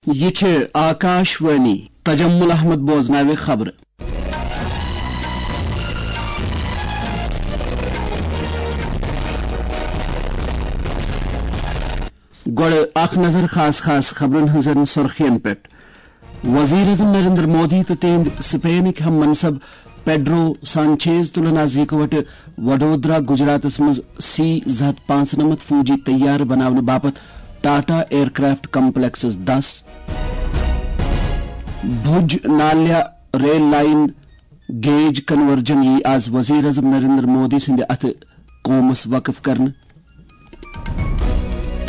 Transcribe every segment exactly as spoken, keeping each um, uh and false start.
یہِ چھِ آکاش وانی۔ تجمل احمد بوزناوِ خبرٕ۔ گۄڈٕ اکھ نظر خاص خاص خبرن ہٕنٛزن سُرخین پٮ۪ٹھ۔ وزیر اعظم نریندر مودی تہٕ تِہنٛدۍ سپینٕکۍ ہم منصب پیڈرو سانچیز تُلن از یکوٹہٕ وڈودرا، گجراتس منٛز سی زٕ ہتھ پانٛژھ نمتھ فوجی طیارٕ بناونہٕ باپتھ ٹاٹا ایئر کرافٹ کمپلیکسس دس۔ بھوج نالیا ریل لائن گیج کنورجن یی از وزیر اعظم نریندر مودی سٕنٛدِ اتھٕ قومس وقف کرنہٕ۔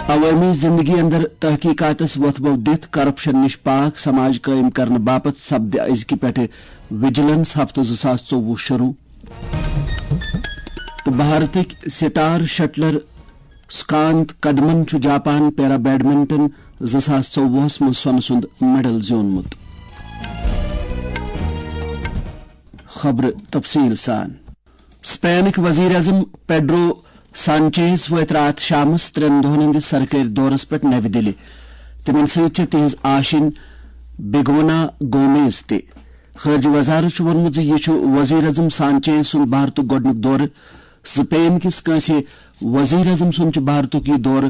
عوٲمی زندگی اندر تحقیقاتس وۄتھٕ بو دِتھ کرپشن نِش پاک سماج قٲیِم کرنہٕ باپتھ سپدِ أزکہِ پٮ۪ٹھٕ وجیلنس ہفتہٕ زٕ ساس ژوٚوُہ شروع۔ تہٕ بھارتٕکۍ سٹار شٹلر سکانت کدمن چھُ جاپان پیرا بیڈمنٹن زٕ ساس ژوٚوُہس منٛز سۄنہٕ سُنٛد میڈل زیوٗنمُت۔ خبرٕ تفصیٖل سان۔ سپینٕکۍ وزیر اعظم پیڈرو سانچیز وٲتۍ راتھ شامس ترٛٮ۪ن دۄہن ہٕنٛدِس سرکٲرۍ دورس پٮ۪ٹھ نَوِ دِلہِ۔ تِمن سۭتۍ چھےٚ تِہنٛز آشِنۍ بیگونا گومیز تہِ۔ خارجہ وزارت چھُ ووٚنمُت زِ یہِ چھُ وزیر اعظم سانچیز سُنٛد بھارتُک گۄڈٕنیُک دورٕ۔ سپین کِس کٲنٛسہِ وزیر اعظم سُنٛد چھُ بھارتُک یہِ دورٕ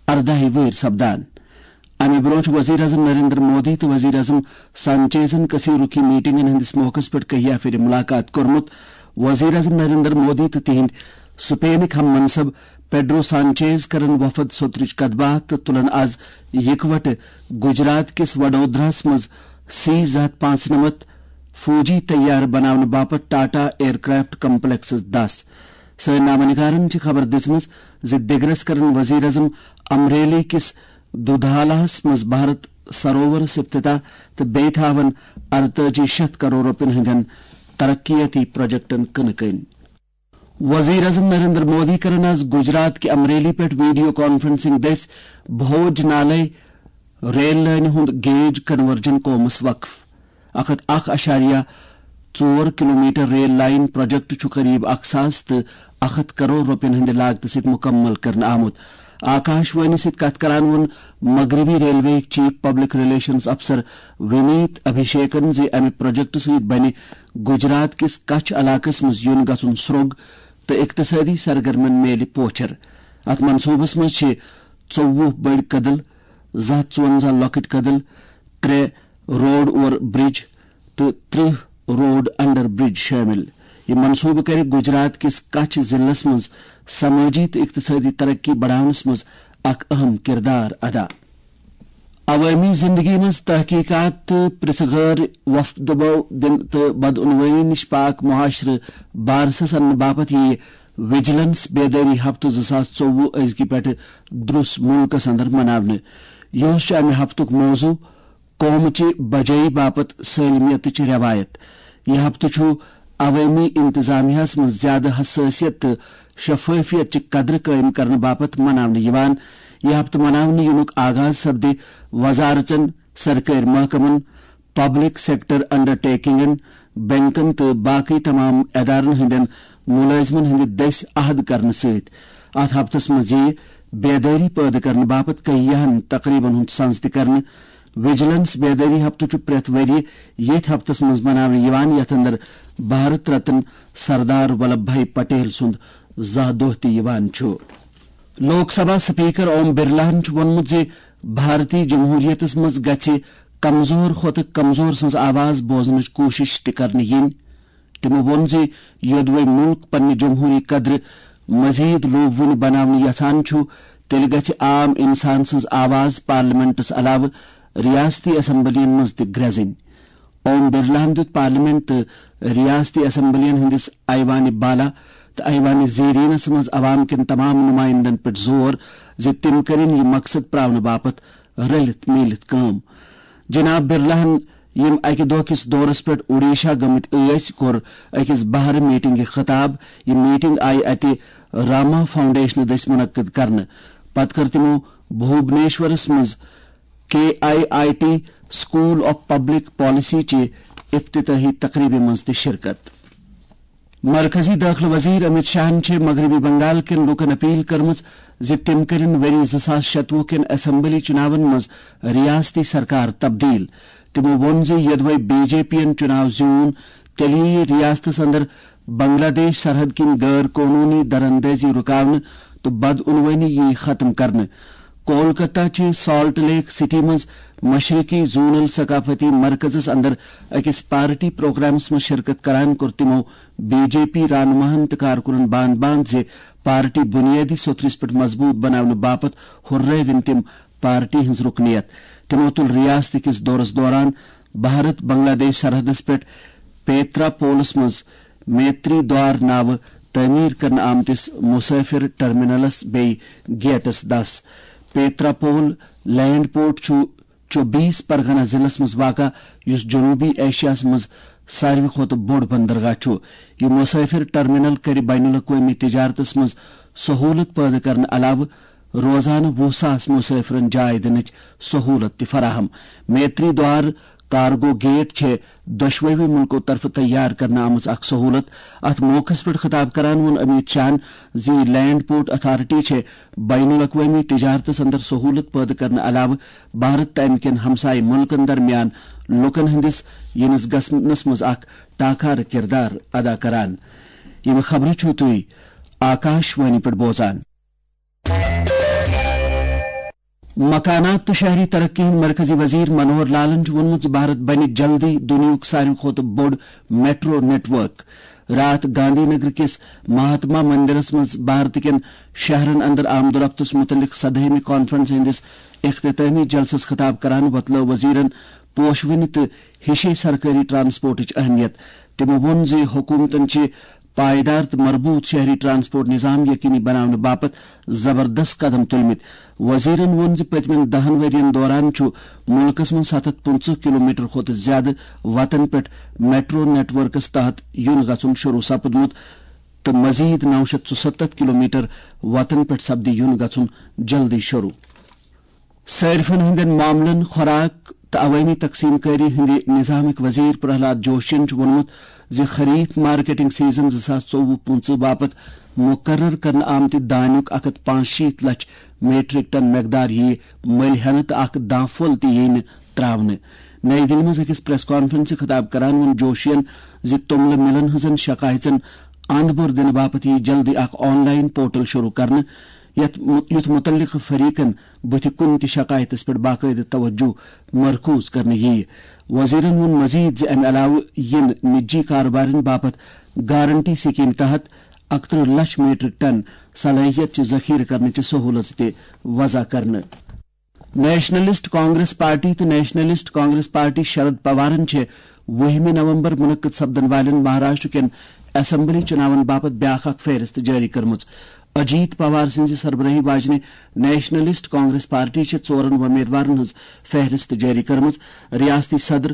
ارداہہِ وٕہٕرۍ سپدان۔ امہِ برونٛہہ چھُ وزیر اعظم نریندر مودی تہٕ وزیر اعظم سانچیزن کثیر رخی میٹنگن ہٕنٛدِس موقعس پٮ۪ٹھ کہیا پھِرِ ملاقات کوٚرمُت۔ وزیر اعظم نریندر مودی تہٕ تِہنٛدۍ سپینٕکۍ ہم منصب پیڈرو سانچیز کرن وفد سوترٕچ کتھ باتھ تہٕ تُلن از یکوٹہٕ گجرات کِس وڈودراہس منٛز سی زٕ ہتھ پانٛژھ نمتھ فوجی طیارٕ بناونہٕ باپتھ ٹاٹا ایئر کرافٹ کمپلیکسس دس۔ سٲنۍ نامہ نگارن چھِ خبر دِژمٕژ زِ دِگرس کرن وزیر اعظم امریلی کِس دودھالاہس منٛز بھارت سروورس افتتاح تہٕ بیٚیہِ تھاون ارتٲجی شیٚتھ کرور رۄپین ہٕنٛدٮ۪ن ترقیتی پروجیکٹن کٕنہٕ کٔنۍ۔ وزیر اعظم نریندر مودی کرن از گجرات کہِ امریلی پٮ۪ٹھ ویڈیو کانفرنسنگ دٔسۍ بھوج نالے ریل لٲنہِ ہُنٛد گیج کنورجن قومس وقف۔ اکھ ہتھ اکھ اعشاریہ ژور کلومیٹر ریل لائن پروجیکٹ چھُ قریب اکھ ساس تہٕ اکھ ہتھ کرور رۄپین ہٕنٛدِ لاگتہٕ سۭتۍ مُکمل کرنہٕ آمُت۔ آکاش وانی سۭتۍ کتھ کران ووٚن مغربی ریلوے چیف پبلک ریلیشنز افسر ونیت ابھیشیکن زِ امہِ پروجیکٹ سۭتۍ بنہِ گجرات کِس کچھ علاقس منٛز یُن گژھُن سرٛوگ تہٕ اقتصٲدی سرگرمن میلہِ پوچھر۔ اتھ منصوبس منٛز چھِ ژوٚوُہ بٔڑۍ کدل، زٕ ہتھ ژُونزہ لۄکٕٹۍ کدل، ترٛےٚ روڈ اوور برج تہٕ ترٕہ روڈ انڈر برج شٲمِل۔ یہِ منصوبہٕ کرِ گجرات کِس کچھ ضلعس منٛز سمٲجی تہٕ اقتصٲدی ترقی بڑاونس منٛز اکھ اہم کردار ادا۔ عوٲمی زندگی منٛز تحقیقات تہٕ پرژھہٕ غٲر وفدبو دِن تہٕ بدعنوٲنی نِش پاک معاشرٕ بارسس اننہٕ باپتھ یِیہِ وجیلنس بیدٲری ہفتہٕ زٕ ساس ژوٚوُہ أزکہِ پٮ۪ٹھٕ درُس مُلکس اندر مناونہٕ۔ یِہُس چھُ امہِ ہفتُک موضوع قومٕچہِ بجٲیی باپتھ سٲلمیتٕچ رٮ۪وایت۔ یہِ ہفتہٕ چھُ عوٲمی انتظامیہس منٛز زیادٕ حسٲسیت تہٕ شفٲفیت چہِ قدرٕ قٲیِم کرنہٕ باپتھ مناونہٕ یِوان۔ یہِ ہفتہٕ مناونہٕ یِنُک آغاز سپدِ وزارژن، سرکٲرۍ محکمن، پبلک سیکٹر انڈرٹیکنگن، بینکن تہٕ باقٕے تمام ادارن ہٕنٛدٮ۪ن مُلٲزمن ہٕنٛدِ دٔسۍ عہد کرنہٕ سۭتۍ۔ اتھ ہفتس منٛز یِیہِ بیدٲری پٲدٕ کرنہٕ باپتھ کہیاہن تقریبن ہُنٛد سنز تہِ کرنہٕ۔ وجیلنس بیدٲری ہفتہٕ چھُ پرٛٮ۪تھ ؤرۍ یہِ ییٚتھۍ ہفتس منٛز مناونہٕ یِوان، یتھ اندر بھارت رتن سردار ولبھ بھائی پٹیل سُنٛد زاہ دۄہ تہِ یِوان چھُ۔ لوک سبھا سپیکر اوم برلاہن چھُ ووٚنمُت زِ بھارتی جمہوریتس منٛز گژھِ کمزور کھۄتہٕ کمزور سٕنٛز آواز بوزنٕچ کوٗشش تہِ کرنہٕ یِنۍ۔ تِمو ووٚن زِ یوٚدوے مُلک پننہِ جمہوٗری قدرٕ مزید لوٗبوٕنہِ بناونہٕ یژھان چھُ، تیٚلہِ گژھِ عام انسان سٕنٛز آواز پارلیمنٹس علاوٕ ریاستی اسمبلین منٛز تہِ گرٛزٕنۍ۔ اوم برلاہن دیُت پارلیمنٹ تہٕ ریاستی اسمبلین ہٕنٛدِس ایوان بالا تہٕ ایوان زیرینس منٛز عوام کٮ۪ن تمام نمائندن پٮ۪ٹھ زور زِ تِم کٔرِن یہِ مقصد پراونہٕ باپتھ رٔلِتھ میٖلِتھ کٲم۔ جناب برلاہن، یِم اکہِ دۄہ کِس دورس پٮ۪ٹھ اوڈیشہ گٔمٕتۍ ٲسۍ، کوٚر أکِس بہرٕ میٹنگہِ خطاب۔ یہِ میٹنگ آیہِ اتہِ راما فاؤنڈیشنہٕ دٔسۍ منعقد کرنہٕ۔ پتہٕ کٔر تِمو بھوبنیشورس منٛز K I I T school of public policy چہِ افتتاحی تقریبہِ منٛز تہِ شرکت۔ مرکزی دٲخلہٕ وزیر امیت شاہن چھِ مغربی بنگال کٮ۪ن لوٗکن اپیل کٔرمٕژ زِ تِم کٔرِن ؤری زٕ ساس شتوُہ کٮ۪ن اسمبلی چُناون منٛز ریاستی سرکار تبدیل۔ تِمَو ووٚن زِ یوٚدوَے بی جے پی یَن چُناو زیوٗن، تیٚلہِ یِیہِ ریاستَس اندر بنگلہ دیش سرحد کِنۍ غٲر قونوٗنی دراندٲزی رُکاونہٕ تہٕ بدعنوٲنی یِیہِ ختم کرنہٕ۔ کولکتہ چہِ سالٹ لیک سٹی منٛز مشرقی زونل ثقافتی مرکزس اندر أکِس پارٹی پروگرامس منٛز شرکت کران کوٚر تِمو بی جے پی رہنماہن تہٕ کارکنن باند باند زِ پارٹی بنیٲدی سوٚتھرِس پٮ۪ٹھ مضبوٗط بناونہٕ باپتھ ہُررٲوِن تِم پارٹی ہٕنٛز رُکنیت۔ تِمو تُل ریاست کِس دورس دوران بھارت بنگلہ دیش سرحدس پٮ۪ٹھ پیترا پولس منٛز میتری دوار ناوٕ تعمیٖر کرنہٕ آمتِس مسافر ٹرمینلس بیٚیہِ گیٹس دس۔ پیترا پول لینڈ پورٹ چھُ چوبیس پرگنہ ضلعس منٛز واقع، یُس جنوبی ایشیاہس منٛز ساروی کھۄتہٕ بوٚڑ بندرگاہ چھُ۔ یہِ مسافر ٹرمینل کرِ بین الاقوٲمی تجارتس منٛز سہولت پٲدٕ کرنہٕ علاوٕ روزانہٕ وُہ ساس مسافرن جاے دِنٕچ سہولت تہِ فراہم۔ میتری دوار کارگو گیٹ چھے دۄشوٕے مُلکو طرفہٕ تیار کرنہٕ آمٕژ اکھ سہولت۔ اتھ موقعس پٮ۪ٹھ خطاب کران ووٚن امیت شاہن زِ یہِ لینڈ پورٹ اتھارٹی چھے بین الاقوٲمی تجارتس اندر سہولت پٲدٕ کرنہٕ علاوٕ بھارت تہٕ امہِ کٮ۪ن ہمسایہِ مُلکن درمیان لوٗکن ہٕنٛدِس یِنس گژھنس منٛز اکھ ٹاکارٕ کردار ادا کران۔ یِم خبرٕ چھِو تُہۍ آکاش وانی پٮ۪ٹھ بوزان۔ مکانات تہٕ شہری ترقی ہٕنٛدۍ مرکزی وزیر منوہر لالن چھُ ووٚنمُت زِ بھارت بنہِ جلدی دُنیاہُک ساروی کھۄتہٕ بوٚڑ میٹرو نیٹ ورک۔ راتھ گاندھی نگر کِس مہاتما مندرس منٛز بھارت کٮ۪ن شہرن اندر آمد و رفتس متعلق سدہمہِ کانفرنس ہٕنٛدِس اختتامی جلسس خطاب کران وۄتلٲو وزیرن پوشوٕنہِ تہٕ ہِشے سرکٲری ٹرانسپورٹٕچ اہمیت۔ تِمو ووٚن زِ حکومتن چھِ پائیدار تہٕ مربوط شہری ٹرانسپورٹ نظام یقینی بناونہٕ باپتھ زبردست قدم تُلمٕتۍ۔ وزیرن ووٚن زِ پٔتمٮ۪ن دَہَن ؤرین دوران چھُ مُلکَس منٛز ستھ ہتھ پٕنٛژٕہ کلومیٹر کھۄتہٕ زِیٛادٕ وتن پٮ۪ٹھ میٹرو نیٹ ورکس تحت یُن گژھُن شروع سپُدمُت تہٕ مزید نو شتھ ژُستتھ کلومیٹر وتن پٮ۪ٹھ سپدِ یُن گژھُن جلدی شروع۔ صارفن ہٕنٛدٮ۪ن معاملن، خوراک تہٕ عوٲمی تقسیم کٲری ہٕنٛدِ نظامٕکۍ وزیر پرہلاد جوشین چھُ ووٚنمُت زِ خریف مارکیٹنگ سیزن زٕ ساس ژوٚوُہ پٕنٛژٕہ باپتھ مقرر کرنہٕ آمتہِ دانیُک اکھ ہتھ پانٛژشیٖتھ لچھ میٹرک ٹن مقدار یِیہِ مٔلۍ ہٮ۪نہٕ تہٕ اکھ دانٛ پھوٚل تہِ یِیہِ نہٕ ترٛاونہٕ۔ نئی دِلہِ منٛز أکِس پریس کانفرنسہِ خطاب کران ووٚن جوشین زِ توٚملہٕ مِلن ہٕنٛزن شکایژن اند بور دِنہٕ باپتھ یِیہِ جلدی اکھ آن لائن پورٹل شروع کرنہٕ، یتھ مُ-، یُتھ مُتعلقہٕ فریقن بُتھِ کُنہِ تہِ شکایتس پٮ۪ٹھ باقٲعدٕ توجہ مرکوز کرنہٕ یِیہِ۔ وزیرن ووٚن مزید زِ امہِ علاوٕ یِن نجی کاربارن باپتھ گارنٹی سکیمہِ تحت اکترٕہ لچھ میٹرک ٹن صلاحیت چہِ ذخیرٕ کرنٕچہِ سہولژ تہِ وضع کرنہٕ۔ نیشنلسٹ کانگریس پارٹی تہٕ نیشنلسٹ کانگریس پارٹی شرد پوارن چھِ وُہمہِ نومبر منعقد سپدن والٮ۪ن مہاراشٹر کٮ۪ن اسمبلی چُناون باپتھ بیٛاکھ اکھ فہرست جٲری کٔرمٕژ۔ اجیت پوار سٕنٛزِ سربرٲہی واجنہِ نیشنلسٹ کانگریس پارٹی چھِ ژورن وۄمیدوارن ہٕنٛز فہرست جٲری کٔرمٕژ۔ ریاستی صدر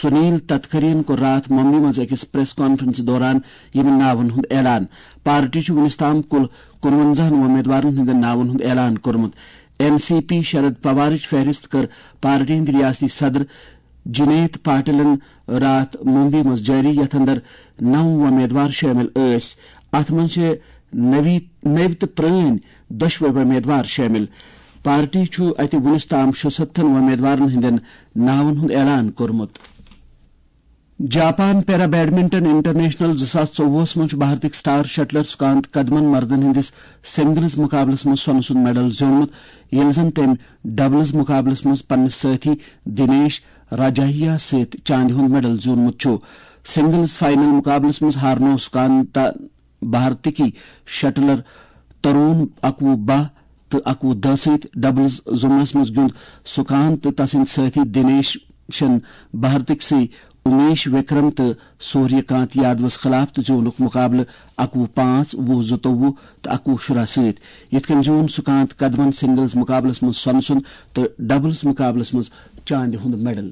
سنیل تتکرین کوٚر راتھ ممبئی منٛز أکِس پریس کانفرنسہِ دوران یِمن ناون ہُنٛد اعلان۔ پارٹی چھُ وُنیُس تام کُل کُنوَنزاہن وۄمیدوارن ہٕنٛدٮ۪ن ناون ہُنٛد اعلان کوٚرمُت۔ این سی پی شرد پوارٕچ فہرست کٔر پارٹی ہٕنٛدۍ ریاستی صدر جنیت پاٹلن راتھ ممبئی منٛز جٲری، یتھ اندر نو وۄمیدوار شٲمِل ٲسۍ۔ اتھ منٛز چھِ نٔوی، نٔوۍ تہٕ پرٲنۍ دۄشوے وۄمیدوار شٲمِل۔ پارٹی چھُ اتہِ وُنیُس تام شُستتھن وۄمیدوارن ہٕنٛدٮ۪ن ناون ہُنٛد اعلان کوٚرمُت۔ جاپان پیرا بیڈمنٹن انٹرنیشنل زٕ ساس ژوٚوُہس منٛز چھُ بھارتٕکۍ سٹار شٹلر سُکانت قدمن مردن ہٕنٛدِس سنگلز مقابلس منٛز سۄنہٕ سُنٛد میڈل زیوٗنمُت، ییٚلہِ زن تٔمۍ ڈبلز مقابلس منٛز پننِس سٲتھی دِنیش راجاہیا سۭتۍ چاندِ ہُنٛد میڈل زیوٗنمُت چھُ۔ سنگلز فائنل مقابلس منٛز ہارنوو سُکانتا بھارتٕکی شٹلر ترون اکوُہ باہ تہٕ اکوُہ دہ سۭتۍ۔ ڈبلز زمرس منٛز گیُنٛد سُکانت تہٕ تسٕنٛدۍ سٲتھی دِنیشن بھارتٕکۍ سٕے امیش وکرم تہٕ سوریہ کانت یادوس خلاف تہٕ زیوٗنُکھ مقابلہٕ اکوُہ پانٛژھ، وُہ زٕتووُہ تہٕ اکوُہ شُراہ سۭتۍ۔ یِتھ کٔنۍ زیوٗن سُکانت قدمن سنگلز مقابلس منٛز سۄنہٕ سُنٛد تہٕ ڈبلز مقابلس منٛز چاندِ ہُنٛد میڈل۔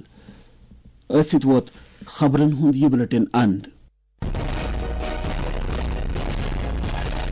أتھۍ سۭتۍ ووت خبرن ہُنٛد یہِ بلیٹن اند۔